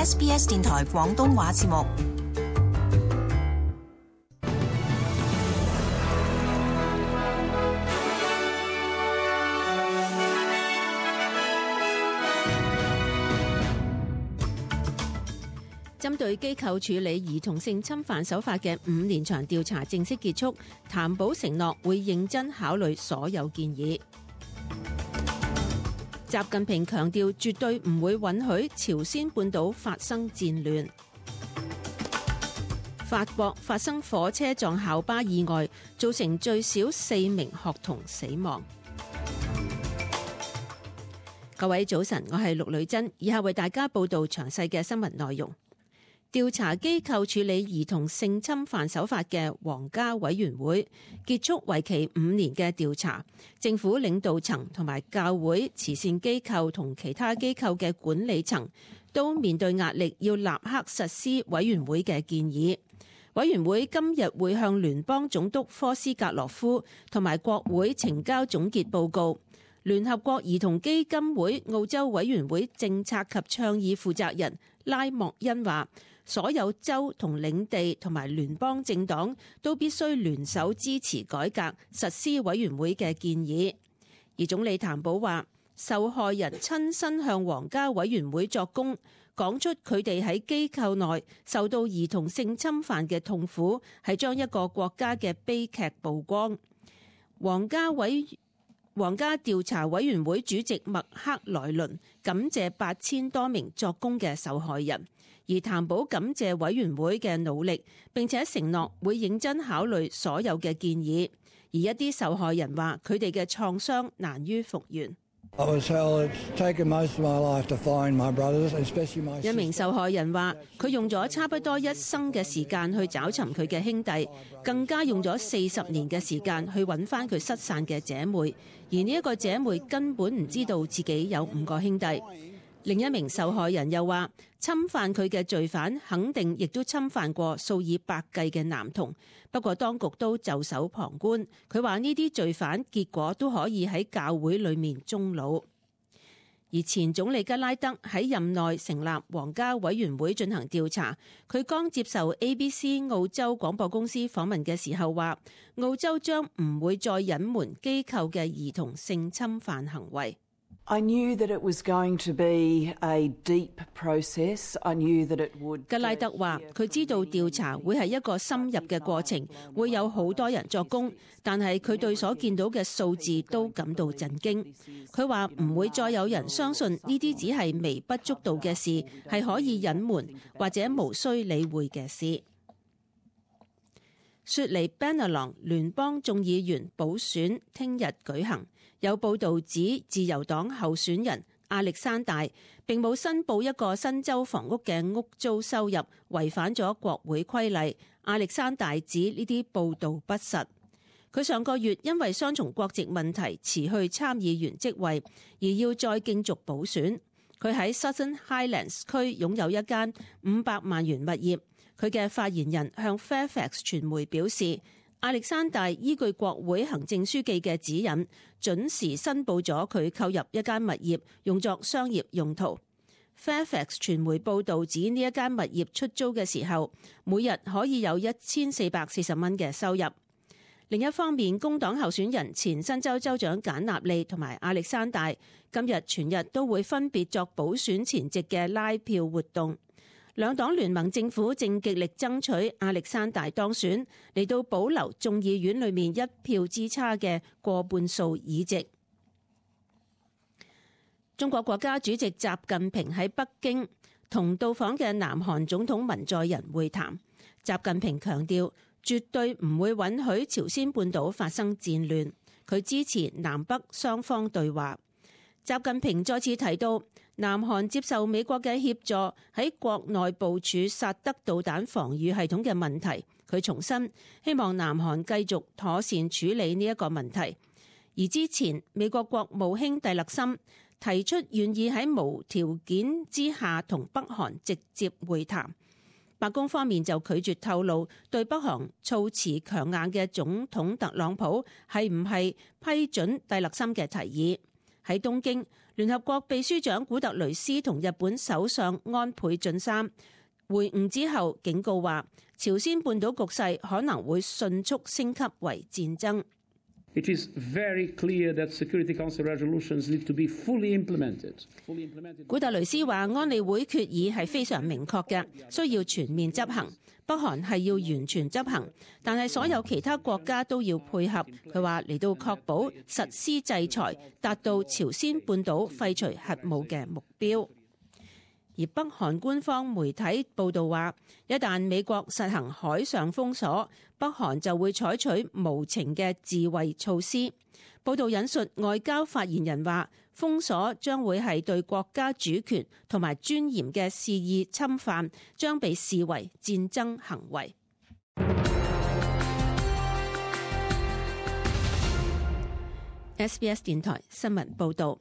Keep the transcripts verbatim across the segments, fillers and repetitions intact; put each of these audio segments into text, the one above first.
S B S 電台廣東話節目。針對機構處理兒童性侵犯手法嘅五年長調查正式結束，譚寶承諾會認真考慮所有建議。習近平強調絕對唔會允許朝鮮半島發生戰亂。法國發生火車撞校巴意外，造成最少四名學童死亡。各位早晨，我係陸女珍，以下為大家報道詳細嘅新聞內容。調查機構處理兒童性侵犯手法嘅皇家委員會結束為期五年嘅調查，政府領導層同埋教會、慈善機構同其他機構嘅管理層都面對壓力，要立刻實施委員會嘅建議。委員會今日會向聯邦總督科斯格洛夫同埋國會呈交總結報告。聯合國兒童基金會澳洲委員會政策及倡議負責人拉莫恩話，所有州同領地同埋聯邦政黨都必須聯手支持改革實施委員會嘅建議。而總理譚寶話，受害人親身向皇家委員會作供，講出佢哋喺機構內受到兒童性侵犯嘅痛苦，係將一個國家嘅悲劇曝光。皇家委皇家調查委員會主席麥克萊倫感謝八千多名作供嘅受害人，而譚寶感謝委員會嘅努力，並且承諾會認真考慮所有嘅建議。而一啲受害人話，佢哋嘅創傷難於復原。一名受害人話，佢用咗差不多一生嘅時間去找尋佢嘅兄弟，更加用咗四十年嘅時間去揾翻佢失散嘅姐妹，而呢一個姐妹根本唔知道自己有五個兄弟。另一名受害人又話，侵犯佢嘅罪犯肯定亦都侵犯過數以百計嘅男童，不過當局都袖手旁觀。佢話呢啲罪犯結果都可以喺教會裏面終老。而前總理吉拉德喺任內成立皇家委員會進行調查，佢剛接受 A B C 澳洲廣播公司訪問嘅時候話，澳洲將唔會再隱瞞機構嘅兒童性侵犯行為。I knew that it was going to be a deep process. I knew that it would. 吉拉德話，佢知道調查會係一個深入嘅過程，會有好多人作供，但係佢對所見到嘅數字都感到震驚。佢話唔會再有人相信呢啲只係微不足道嘅事，係可以隱瞞或者無需理會嘅事。雪梨 Bennelong 聯邦眾議員補選聽日舉行，有報道指自由黨候選人亞歷山大並冇申報一個新州房屋嘅屋租收入，違反咗國會規例。亞歷山大指呢啲報道不實。佢上個月因為雙重國籍問題辭去參議員職位，而要再競逐補選。佢喺 Southern Highlands 區擁有一間五百萬元物業。佢嘅發言人向 Fairfax 傳媒表示，亞歷山大依據國會行政書記嘅指引，準時申報咗佢購入一間物業，用作商業用途。Fairfax 傳媒報導指呢一間物業出租嘅時候，每日可以有一千四百四十蚊嘅收入。另一方面，工黨候選人前新州州長簡納利同埋亞歷山大今日全日都會分別作補選前夕嘅拉票活動。兩黨聯盟政府正極力爭取亞歷山大當選，嚟到保留眾議院裏面一票之差嘅過半數議席。中國國家主席習近平喺北京同到訪嘅南韓總統文在寅會談。習近平強調絕對唔會允許朝鮮半島發生戰亂，佢支持南北雙方對話。習近平再次提到南韓接受美國嘅協助喺國內部署薩德導彈防禦系統嘅問題，佢重申希望南韓繼續妥善處理呢一個問題。而之前美國國務卿蒂勒森提出願意喺無條件之下同北韓直接會談，白宮方面就拒絕透露對北韓措辭強硬嘅總統特朗普係唔係批准蒂勒森嘅提議。喺東京，聯合國秘書長古特雷斯同日本首相安倍晉三會晤之後，警告話朝鮮半島局勢可能會迅速升級為戰爭。It is very clear that Security Council resolutions need to be fully implemented. Fully implemented. 古特雷斯話安理會決議係非常明確嘅，需要全面執行。北韓係要完全執行，但係所有其他國家都要配合。佢話嚟到確保實施制裁，達到朝鮮半島廢除核武嘅目標。而北韓官方媒體報導話，一旦美國實行海上封鎖，北韓就會採取無情嘅自衛措施。報導引述外交發言人話，封鎖將會係對國家主權同埋尊嚴嘅肆意侵犯，將被視為戰爭行為。S B S 電台新聞報導。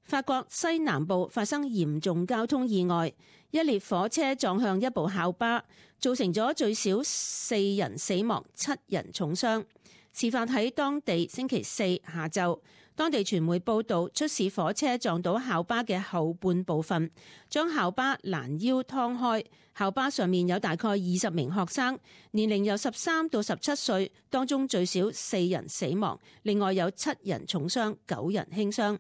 法國西南部發生嚴重交通意外，一列火車撞向一部校巴，造成咗最少四人死亡、七人重傷。事發喺當地星期四下晝，當地傳媒報道，出事火車撞到校巴嘅後半部分，將校巴攔腰劏開。校巴上面有大概二十名學生，年齡由十三到十七歲，當中最少四人死亡，另外有七人重傷，九人輕傷。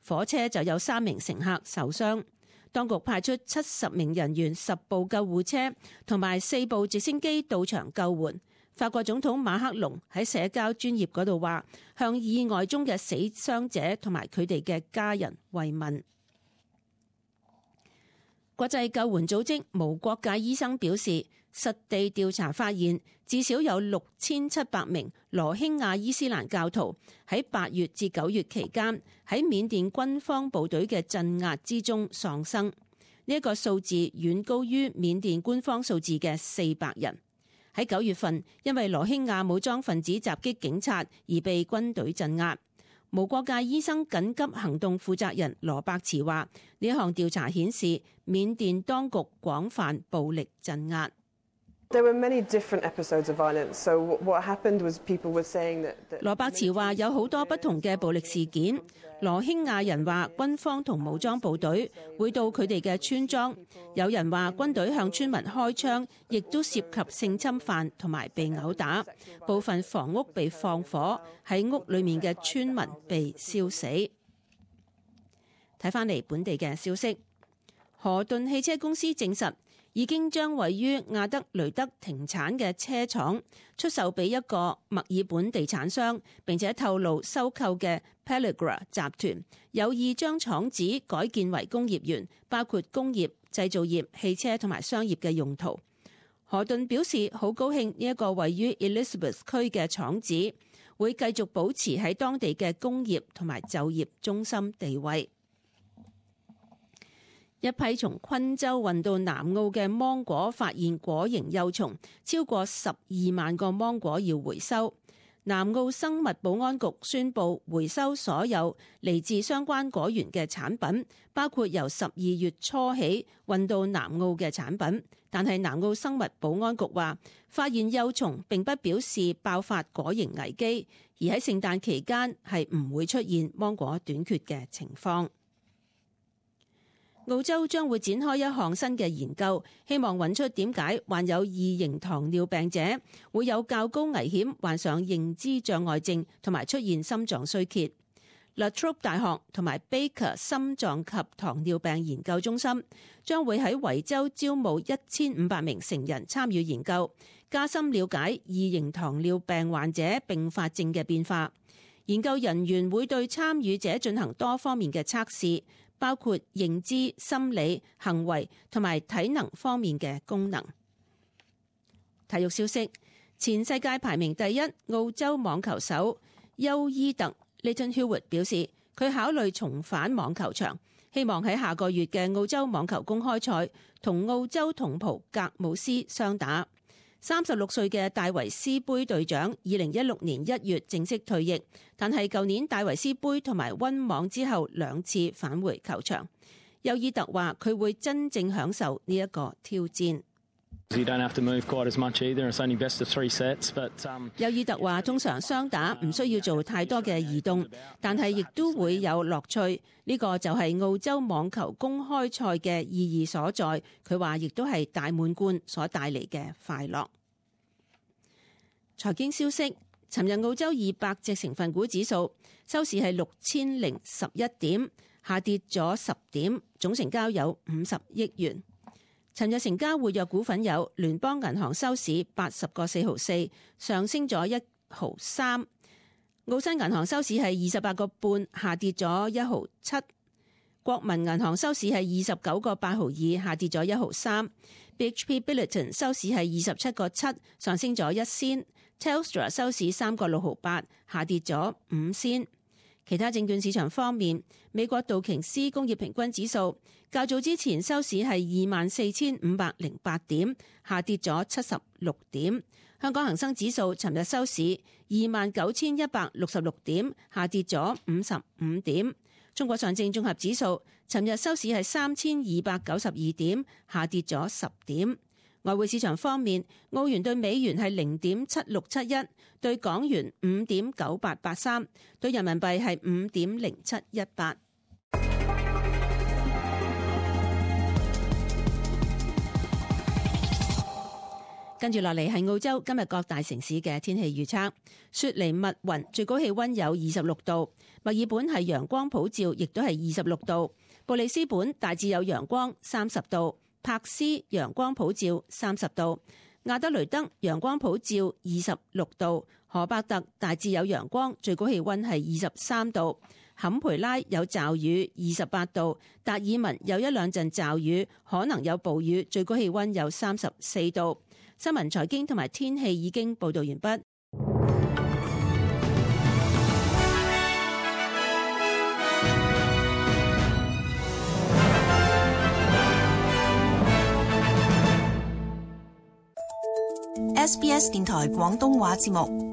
火車就有三名乘客受傷，當局派出七十名人員、十部救護車同埋四部直升機到場救援。法國總統馬克龍喺社交專頁嗰度話，向意外中嘅死傷者同埋佢哋嘅家人慰問。國際救援組織無國界醫生表示，實地調查發現，至少有六千七百名羅興亞伊斯蘭教徒喺八月至九月期間喺緬甸軍方部隊嘅鎮壓之中喪生。呢一個數字遠高於緬甸官方數字嘅四百人。喺九月份，因為羅興亞武裝分子襲擊警察而被軍隊鎮壓。無國界醫生緊急行動負責人羅伯茨話：呢一項調查顯示，緬甸當局廣泛暴力鎮壓。There were many different episodes of violence. So what happened was people were saying that. 羅伯茨話有好多不同嘅暴力事件。羅興亞人話軍方同武裝部隊會到佢哋嘅村莊，有人話軍隊向村民開槍，亦都涉及性侵犯同埋被毆打。部分房屋被放火，喺屋裏面嘅村民被燒死。睇返嚟本地嘅消息，河頓汽車公司證實，已經將位於亞德雷德停產嘅車廠出售俾一個墨爾本地產商，並且透露收購嘅 Pelligra 集團有意將廠址改建為工業園，包括工業、製造業、汽車同埋商業嘅用途。河頓表示好高興呢一個位於 Elizabeth 區嘅廠址會繼續保持喺當地嘅工業同埋就業中心地位。一批從昆州運到南澳嘅芒果發現果蠅幼蟲，超過十二萬個芒果要回收。南澳生物保安局宣布回收所有嚟自相關果園嘅產品，包括由十二月初起運到南澳嘅產品。但係南澳生物保安局話，發現幼蟲並不表示爆發果蠅危機，而喺聖誕期間係唔會出現芒果短缺嘅情況。澳洲將會展開一項新嘅研究，希望揾出點解患有二型糖尿病者會有較高危險患上認知障礙症同埋出現心臟衰竭。La Trobe 大學同埋 Baker 心臟及糖尿病研究中心將會喺維州招募一千五百名成人參與研究，加深了解二型糖尿病患者併發症嘅變化。研究人員會對參與者進行多方面嘅測試，包括認知、心理、行為同埋體能方面嘅功能。體育消息，前世界排名第一澳洲網球手休伊特 Leighton Hewitt 表示，佢考慮重返網球場，希望喺下個月嘅澳洲網球公開賽同澳洲同袍格姆斯相打。三十六歲嘅戴維斯杯隊長，二零一六年一月正式退役，但係舊年戴維斯杯同埋溫網之後兩次返回球場。休伊特話佢會真正享受呢一個挑戰。You don't have to move quite as much either. It's only best of three sets, but um 尤爾特話：通常雙打唔需要做太多嘅移動，但係亦都會有樂趣。呢個就係澳洲網球公開賽嘅意義所在。佢話亦都係大滿貫所帶嚟嘅快樂。財經消息：尋日澳洲二百隻成分股指數收市係六千零十一點，下跌咗十點，總成交有五十億元。尋日成交活躍股份有聯邦銀行收市八十個四毫四，上升咗一毫三；澳新銀行收市係二十八個半，下跌咗一毫七；國民銀行收市係二十九個八毫二，下跌咗一毫三； B H P Billiton 收市係二十七個七，上升咗一仙；Telstra 收市三個六毫八，下跌咗五仙。其他證券市場方面，美國道瓊斯工業平均指數較早之前收市係二萬四千五百零八點，下跌咗七十六點。香港恒生指數尋日收市二萬九千一百六十六點，下跌咗五十五點。中國上證綜合指數尋日收市係三千二百九十二點，下跌咗十點。外匯市場方面，澳元對美元係零點七六七一，對港元五點九八八三，對人民幣係五點零七一八。跟住落嚟係澳洲今日各大城市嘅天氣預測：雪梨密雲，最高氣溫有二十六度；墨爾本係陽光普照，亦都係二十六度；布里斯本大致有陽光，三十度；柏斯陽光普照，三十度；亞德雷德陽光普照，二十六度；荷伯特大致有陽光，最高氣溫係二十三度；坎培拉有驟雨，二十八度；達爾文有一兩陣驟雨，可能有暴雨，最高氣溫有三十四度。新聞、財經同埋天氣已經報道完畢。S B S 電台廣東話節目。